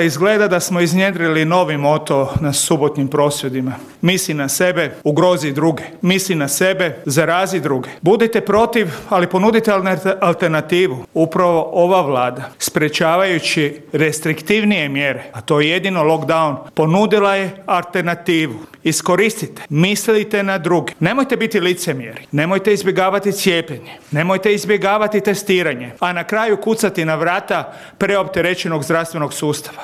Izgleda da smo iznjedrili novi moto na subotnjim prosvjedima. Misli na sebe, ugrozi druge. Misli na sebe, zarazi druge. Budite protiv, ali ponudite alternativu. Upravo ova Vlada, sprečavajući restriktivnije mjere, a to je jedino lockdown, ponudila je alternativu. Iskoristite, mislite na druge. Nemojte biti licemjeri, nemojte izbjegavati cijepljenje, nemojte izbjegavati testiranje, a na kraju kucati na vrata preopterećenog zdravstvenog sustava.